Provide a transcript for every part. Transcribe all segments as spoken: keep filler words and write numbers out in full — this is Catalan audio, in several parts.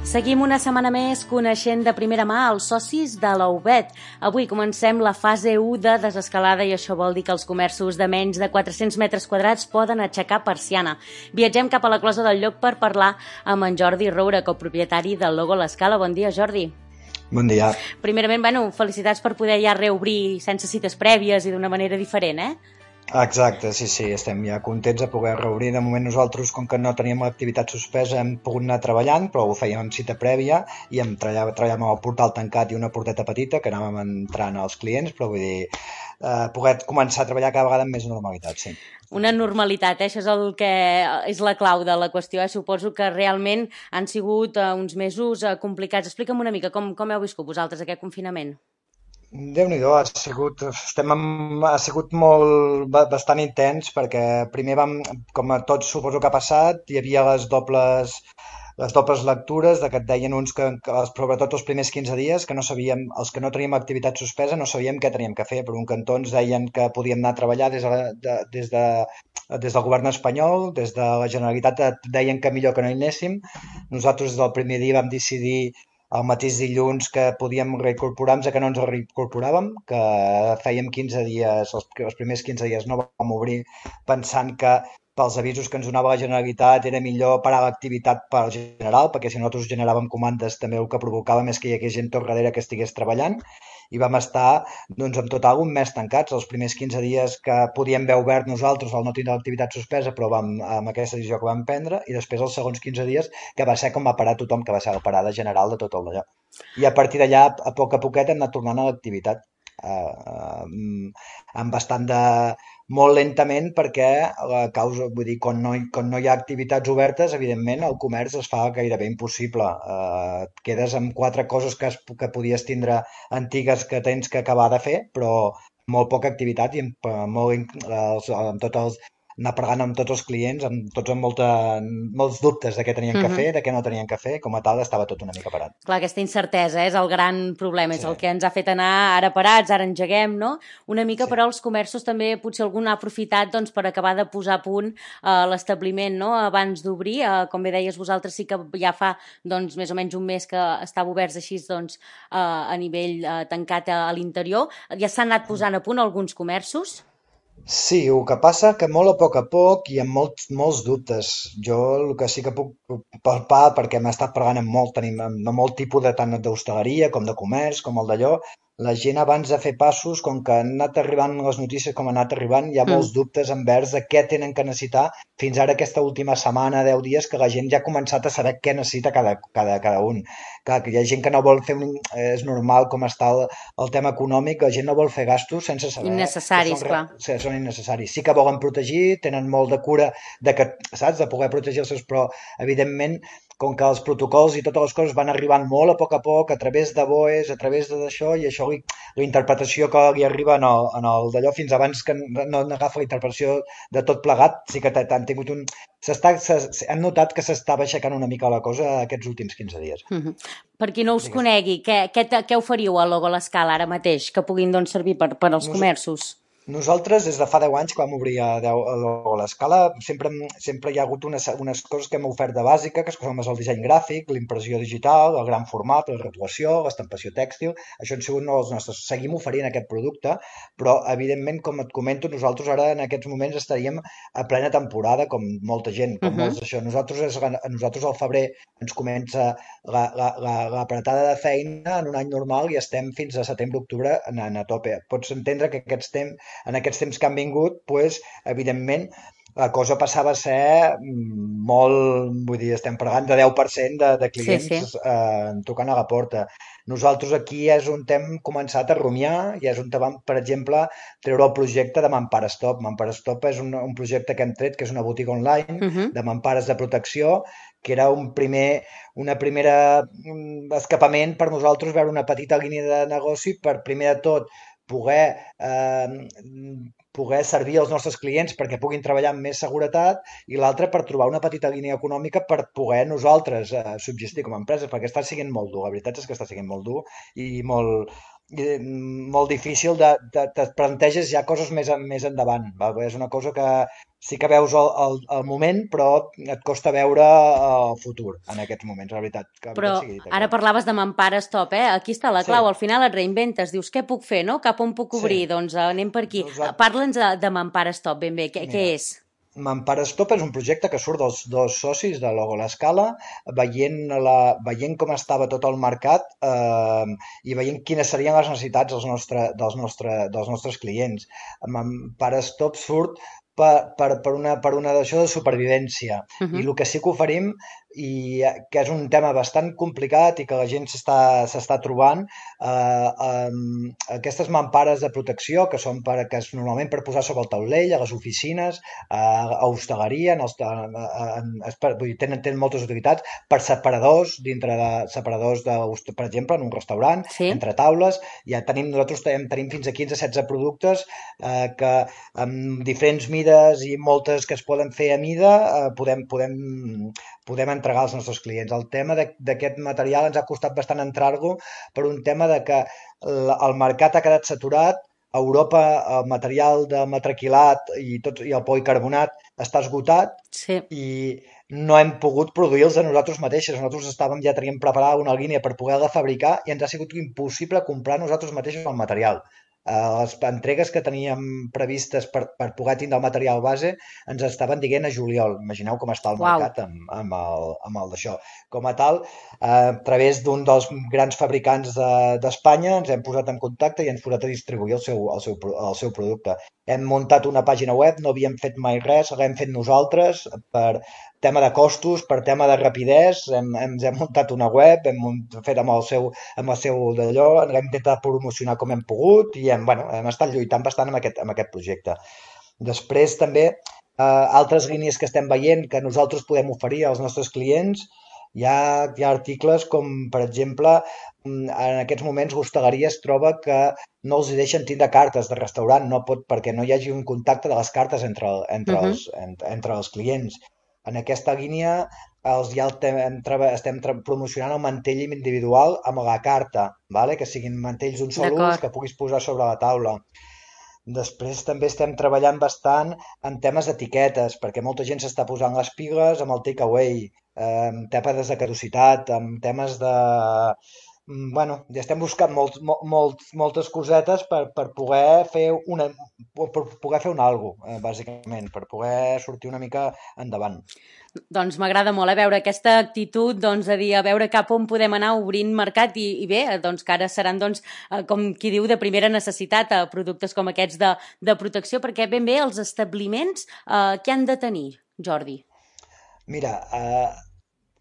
Seguim una setmana més coneixent de primera mà els socis de la U B E T. Avui comencem la fase u de desescalada i això vol dir que els comerços de menys de quatre-cents metres quadrats poden aixecar persiana. Viatgem cap a la Closa del Lloc per parlar amb en Jordi Roura, copropietari del Logo L'Escala. Bon dia, Jordi. Bon dia. Primerament, bueno, felicitats per poder ja reobrir sense cites prèvies i d'una manera diferent, eh? Exacte, sí, sí, estem ja contents de poder reobrir. De moment nosaltres, com que no teníem l'activitat suspesa, hem pogut anar treballant, però ho fèiem amb cita prèvia i em treballàvem, treballàvem amb el portal tancat i una porteta petita que anàvem entrant als clients, però vull dir, eh, poder començar a treballar cada vegada amb més normalitat, sí. Una normalitat, eh? Això és el que és la clau de la qüestió. Eh? Suposo que realment han sigut eh, uns mesos eh, complicats. Explica'm una mica com, com heu viscut vosaltres aquest confinament. Déu-n'hi-do, ha sigut, estem amb, ha sigut molt, bastant intens perquè primer vam, com a tots suposo que ha passat, hi havia les dobles, les dobles lectures de que et deien uns que, que sobretot els primers quinze dies, que no sabíem, els que no teníem activitat suspesa no sabíem què teníem que fer. Per un cantó ens deien que podíem anar a treballar des de, de, des de des del govern espanyol, des de la Generalitat et deien que millor que no hi anéssim. Nosaltres des del primer dia vam decidir el mateix dilluns que podíem reincorporar-nos a que no ens reincorporàvem, que fèiem quinze dies, els, els primers quinze dies no vam obrir pensant que pels avisos que ens donava la Generalitat era millor parar l'activitat per general, perquè si nosaltres generàvem comandes també el que provocàvem és que hi hagués gent tot darrere que estigués treballant i vam estar doncs, en total un mes tancats. Els primers quinze dies que podíem haver obert nosaltres al no tindre l'activitat suspesa, però vam, amb aquesta decisió que vam prendre, i després els segons quinze dies que va ser com va parar tothom, que va ser la parada general de tot el d'allò. I a partir d'allà, a poc a poquet, hem anat tornant a l'activitat. Uh, uh, amb bastant de... molt lentament perquè la causa, vull dir, quan no, quan no hi ha activitats obertes, evidentment el comerç es fa gairebé impossible. Uh, et quedes amb quatre coses que, es, que podies tindre antigues que tens que acabar de fer, però molt poca activitat i amb, molt, els, amb tots els anar pregant amb tots els clients, amb tots amb molta, molts dubtes de què tenien que fer, de què no tenien que fer, com a tal estava tot una mica parat. Clar, aquesta incertesa és el gran problema, és sí. El que ens ha fet anar ara parats, ara engeguem, no? Una mica, sí. Però els comerços també potser algun ha aprofitat doncs, per acabar de posar a punt eh, l'establiment, no? Abans d'obrir, eh, com bé deies vosaltres, sí que ja fa doncs, més o menys un mes que estava oberts així doncs, eh, a nivell eh, tancat a, a l'interior. Ja s'han anat posant a punt alguns comerços? Sí, el que passa que molt a poc a poc i amb molts, molts dubtes. Jo el que sí que puc palpar, perquè m'ha estat pregant amb molt, tenim amb molt tipus de tant d'hostaleria com de comerç, com el d'allò, la gent abans de fer passos, com que han anat arribant les notícies com han anat arribant, hi ha mm. molts dubtes envers de què tenen que necessitar fins ara aquesta última setmana, deu dies, que la gent ja ha començat a saber què necessita cada, cada, cada un. Clar, que hi ha gent que no vol fer un... És normal com està el, el tema econòmic, la gent no vol fer gastos sense saber... Innecessaris, són, clar. Sí, són innecessaris. Sí que volen protegir, tenen molt de cura de que, saps, de poder protegir els seus, però evidentment com que els protocols i totes les coses van arribant molt a poc a poc, a través de B O Es, a través d'això, i això, la interpretació que li arriba en el, en el d'allò, fins abans que no n'agafa la interpretació de tot plegat, sí que han tingut un... S'està, hem notat que s'estava aixecant una mica la cosa aquests últims quinze dies. Mm-hmm. Per qui no us Digues. Conegui, què, què, què oferiu al Logo L'Escala ara mateix, que puguin doncs, servir per, per als Nos... comerços? Nosaltres, des de fa deu anys, quan vam obrir a, a l'Escala, sempre, sempre hi ha hagut unes, unes coses que hem ofert de bàsica, que són el disseny gràfic, l'impressió digital, el gran format, la rotulació, l'estampació tèxtil. Això han sigut els nostres. Seguim oferint aquest producte, però, evidentment, com et comento, nosaltres ara en aquests moments estaríem a plena temporada, com molta gent, com uh-huh. molts d'això. Nosaltres, és, nosaltres al febrer ens comença la, la, la, l'apretada de feina en un any normal i estem fins a setembre-octubre a, a tope. Pots entendre que aquests temps en aquests temps que han vingut, pues, evidentment, la cosa passava a ser molt, vull dir, estem pregant de deu per cent de, de clients sí, sí. Eh, tocant a la porta. Nosaltres aquí és on hem començat a rumiar i és on vam, per exemple, treure el projecte de Mampara Stop. Mampara Stop és un, un projecte que hem tret, que és una botiga online uh-huh. de mampares de protecció, que era un primer, una primera escapament per nosaltres veure una petita línia de negoci per, primer de tot, poder, eh, poder servir als nostres clients perquè puguin treballar amb més seguretat i l'altre per trobar una petita línia econòmica per poder nosaltres eh, subsistir com a empreses, perquè està sent molt dur, la veritat és que està sent molt dur i molt, i, mm, molt difícil de, de, de planteges ja coses més, en- més endavant. Va? És una cosa que sí que veus el, el, el moment, però et costa veure el futur en aquests moments, la veritat, que la Però veritat sigui dit ara això. parlaves de Mampara Stop, eh? Aquí està la Sí, clau, al final et reinventes, dius, què puc fer, no? Cap on puc sí. obrir? Doncs eh, anem per aquí. Eh, Nosaltres, Parla'ns de, de Mampara Stop, ben bé, què, què mira, és? M'Empara Stop és un projecte que surt dels dos socis de Logo l'Escala, veient, la, veient com estava tot el mercat eh, i veient quines serien les necessitats dels, nostre, dels, nostre, dels nostres clients. M'Empara Stop surt per, per, per una, per una d'això de supervivència. Uh I -huh. el que sí que oferim, i eh, que és un tema bastant complicat i que la gent s'està s'està trobant, eh, um, aquestes mampares de protecció que són per, que és normalment per posar sobre el taulell, a les oficines, a hostaleria, en els, en, en, en, vull dir, tenen, tenen moltes utilitats per separadors, dintre de separadors, de, per exemple, en un restaurant, Sí? entre taules, ja tenim, nosaltres tenim, tenim fins a quinze o setze productes eh, que amb diferents mides i moltes que es poden fer a mida eh, podem, podem, podem entregar als nostres clients. El tema d'aquest material ens ha costat bastant entrar-lo per un tema de que el mercat ha quedat saturat. A Europa el material de matraquilat i, tot, i el policarbonat està esgotat Sí. i no hem pogut produir-los a nosaltres mateixos. Nosaltres estàvem, ja teníem preparada una línia per poder-la fabricar i ens ha sigut impossible comprar nosaltres mateixos el material. Eh, les entregues que teníem previstes per, per poder tindre el material base ens estaven dient a juliol. Imagineu com està el Uau. mercat amb, amb el, amb el d'això. Com a tal, eh, a través d'un dels grans fabricants d'Espanya de, ens hem posat en contacte i ens hem posat a distribuir el seu, el seu, el seu producte. Hem muntat una pàgina web, no havíem fet mai res, l'hem fet nosaltres per tema de costos, per tema de rapidesa, hem, hem, hem muntat una web, hem fet amb el seu, amb el seu d'allò, l'hem intentat promocionar com hem pogut i hem, bueno, hem estat lluitant bastant amb aquest, amb aquest projecte. Després també eh, altres línies que estem veient que nosaltres podem oferir als nostres clients, hi ha, hi ha articles com, per exemple, en aquests moments l'hostaleria es troba que no els deixen tindre cartes de restaurant, no pot, perquè no hi hagi un contacte de les cartes entre, Uh entre, -huh. els, entre, entre els clients. En aquesta línia els ja el tem, estem promocionant el mantell individual amb la carta, vale? Que siguin mantells d'un sol ús D'acord. que puguis posar sobre la taula. Després també estem treballant bastant en temes d'etiquetes, perquè molta gent s'està posant les piles amb el takeaway, eh, amb temes de caducitat, amb temes de... mm, Bueno, ja estem buscant molt, molt, molt, moltes cosetes per, per poder fer una, per poder fer un algo, eh, bàsicament, per poder sortir una mica endavant. Doncs m'agrada molt a veure aquesta actitud doncs, de dir a veure cap on podem anar obrint mercat i, i bé, doncs que ara seran doncs, eh, com qui diu de primera necessitat eh, productes com aquests de, de protecció, perquè ben bé els establiments eh, què han de tenir, Jordi? Mira, eh,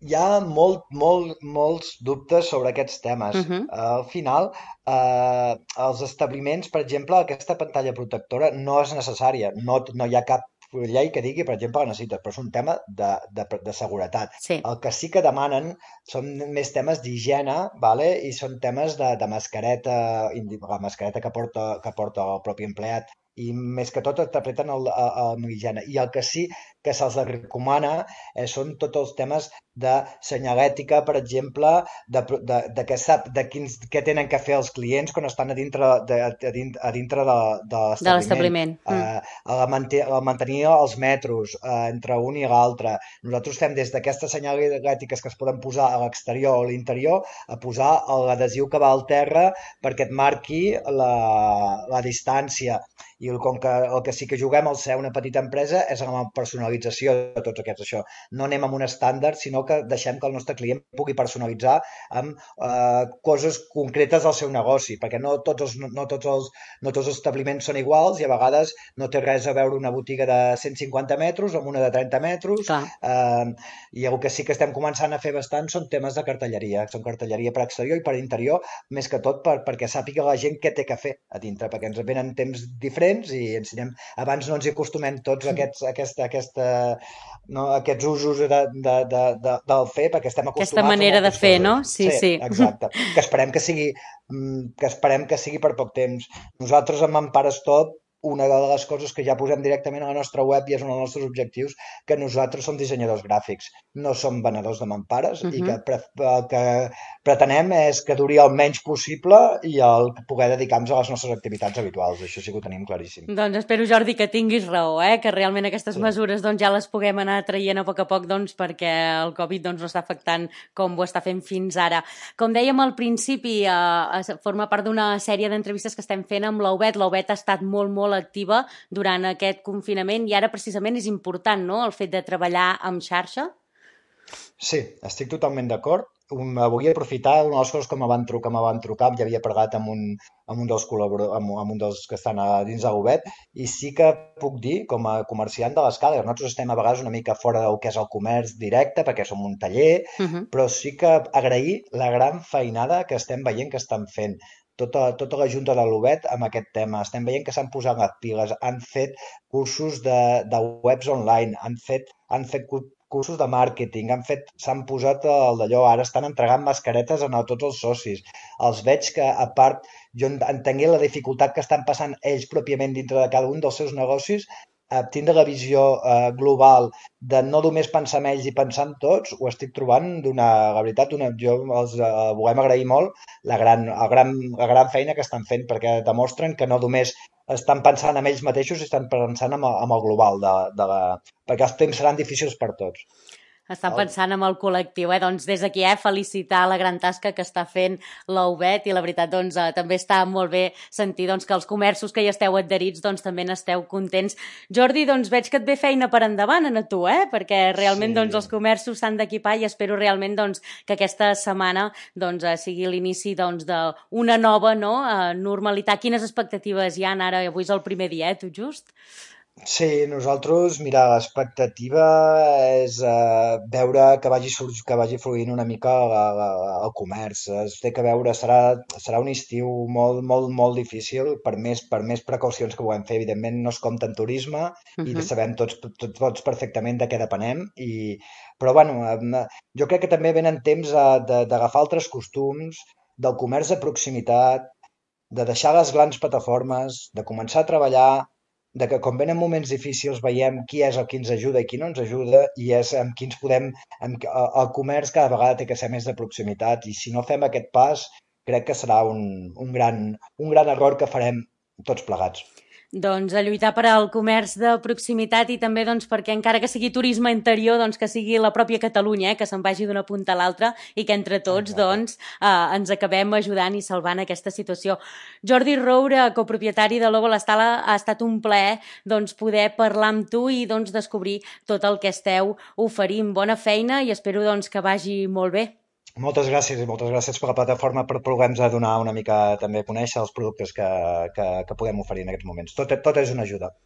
hi ha molt, molt, molts dubtes sobre aquests Uh temes. -huh. Eh, al final, eh, els establiments, per exemple, aquesta pantalla protectora no és necessària. No, no hi ha cap llei que digui, per exemple, que necessites, però és un tema de, de, de seguretat. Sí, El que sí que demanen són més temes d'higiene, vale? I són temes de, de mascareta, indi- la mascareta que porta, que porta el propi empleat, i més que tot interpreten el, el, el, l'higiene. I el que sí que se'ls recomana eh, són tots els temes de senyalètica, per exemple, de, de, de, que sap, de quins, què tenen que fer els clients quan estan a dintre de, a dintre, a dintre de, de de l'establiment, l'establiment. Mm. eh, a, la manter, a mantenir els metros eh, entre un i l'altre. Nosaltres fem des d'aquestes senyalètiques que es poden posar a l'exterior o a l'interior a posar l'adhesiu que va al terra perquè et marqui la, la distància. I el, com que el que sí que juguem al ser una petita empresa és amb la personalització de tots aquests això. No anem amb un estàndard, sinó que deixem que el nostre client pugui personalitzar amb eh, coses concretes del seu negoci, perquè no tots, els, no, tots els, no tots els establiments són iguals i a vegades no té res a veure una botiga de cent cinquanta metres amb una de trenta metres, Clar. eh, i el que sí que estem començant a fer bastant són temes de cartelleria, són cartelleria per exterior i per interior, més que tot per, perquè sàpiga la gent què té que fer a dintre, perquè ens venen temps diferents i ens anem, abans no ens hi acostumem tots a aquests, a aquesta, a aquesta, no, aquests usos de, de, de, de, del fer, perquè estem Aquesta acostumats a manera de moltes fer, no? coses. Sí, Sí, sí. exacte. Que esperem que sigui, que esperem que sigui per poc temps. Nosaltres amb Empara Stop una de les coses que ja posem directament a la nostra web i és un dels nostres objectius, que nosaltres som dissenyadors gràfics, no som venedors de mampares Uh i -huh. que pre el que pretenem és que duri el menys possible i el poder dedicar-nos a les nostres activitats habituals. Això sí que ho tenim claríssim. Doncs espero, Jordi, que tinguis raó, eh? Que realment aquestes Sí. mesures doncs, ja les puguem anar traient a poc a poc doncs, perquè el Covid doncs, no està afectant com ho està fent fins ara. Com dèiem al principi, eh, forma part d'una sèrie d'entrevistes que estem fent amb l'Obet. L'Obet ha estat molt, molt activa durant aquest confinament i ara precisament és important, no?, el fet de treballar en xarxa. Sí, estic totalment d'acord. Um, vull aprofitar una de les coses que me van trucar, me van trucar, ja havia parlat amb un, amb un dels col·laboradors, amb, amb un dels que estan a dins de l'Obet, i sí que puc dir, com a comerciant de l'escala, nosaltres estem a vegades una mica fora del que és el comerç directe, perquè som un taller, Uh -huh. però sí que agrair la gran feinada que estem veient que estan fent tota, tota la junta de l'Obet amb aquest tema. Estem veient que s'han posat les piles, han fet cursos de, de webs online, han fet, han fet cursos de màrqueting, han fet, s'han posat el d'allò, ara estan entregant mascaretes a tots els socis. Els veig que, a part, jo entengué la dificultat que estan passant ells pròpiament dintre de cada un dels seus negocis, eh, tindre la visió eh, global de no només pensar en ells i pensar en tots, ho estic trobant d'una, la veritat, una, jo els eh, volem agrair molt la gran, el gran, la gran feina que estan fent, perquè demostren que no només estan pensant en ells mateixos i estan pensant en el, en el global, de, de la, perquè els temps seran difícils per tots. Està pensant en el col·lectiu, eh? Doncs des d'aquí, eh, felicitar la gran tasca que està fent l'Obet i la veritat, doncs, eh, també està molt bé sentir doncs, que els comerços que hi esteu adherits doncs, també n'esteu contents. Jordi, doncs veig que et ve feina per endavant a tu, eh? Perquè realment Sí. doncs, els comerços s'han d'equipar i espero realment doncs, que aquesta setmana doncs, eh, sigui l'inici doncs, d'una nova, no, eh, normalitat. Quines expectatives hi ha ara? Avui és el primer dia, eh, tot just? Sí, nosaltres, mira, l'expectativa és eh, veure que vagi, sur- que vagi fluint una mica la- la- el comerç. Es té que veure, serà, serà un estiu molt, molt, molt difícil per més, per més precaucions que puguem fer. Evidentment no es compta en turisme Uh i -huh. sabem tots, tots, tots perfectament de què depenem. I, però bueno, em, jo crec que també venen temps eh, de- d'agafar altres costums, del comerç de proximitat, de deixar les grans plataformes, de començar a treballar, de que quan venen moments difícils veiem qui és el qui ens ajuda i qui no ens ajuda i és amb qui ens podem... Amb, el comerç cada vegada té que ser més de proximitat i si no fem aquest pas crec que serà un, un, gran, un gran error que farem tots plegats. Doncs a lluitar per al comerç de proximitat i també doncs, perquè encara que sigui turisme interior, doncs, que sigui la pròpia Catalunya, eh, que se'n vagi d'una punta a l'altra i que entre tots Exacte. doncs, eh, ens acabem ajudant i salvant aquesta situació. Jordi Roure, copropietari de Logo l'Estala, ha estat un plaer doncs, poder parlar amb tu i doncs, descobrir tot el que esteu oferint. Bona feina i espero doncs, que vagi molt bé. Moltes gràcies i moltes gràcies per la plataforma per poder-nos donar una mica també a conèixer els productes que, que, que podem oferir en aquests moments. Tot, tot és una ajuda.